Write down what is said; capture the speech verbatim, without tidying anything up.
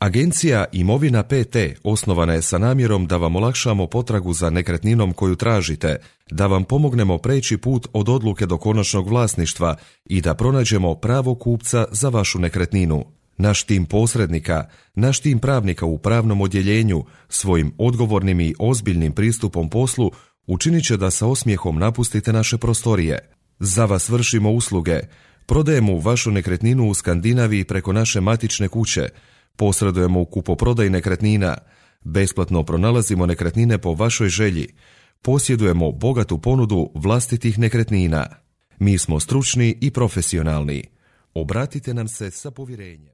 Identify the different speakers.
Speaker 1: Agencija Imovina P T osnovana je sa namjerom da vam olakšamo potragu za nekretninom koju tražite, da vam pomognemo preći put od odluke do konačnog vlasništva i da pronađemo pravog kupca za vašu nekretninu. Naš tim posrednika, naš tim pravnika u pravnom odjeljenju svojim odgovornim i ozbiljnim pristupom poslu učinit će da sa osmijehom napustite naše prostorije. Za vas vršimo usluge, prodajemo vašu nekretninu u Skandinaviji preko naše matične kuće, posredujemo u kupoprodaji nekretnina, besplatno pronalazimo nekretnine po vašoj želji, posjedujemo bogatu ponudu vlastitih nekretnina. Mi smo stručni i profesionalni. Obratite nam se sa povjerenjem.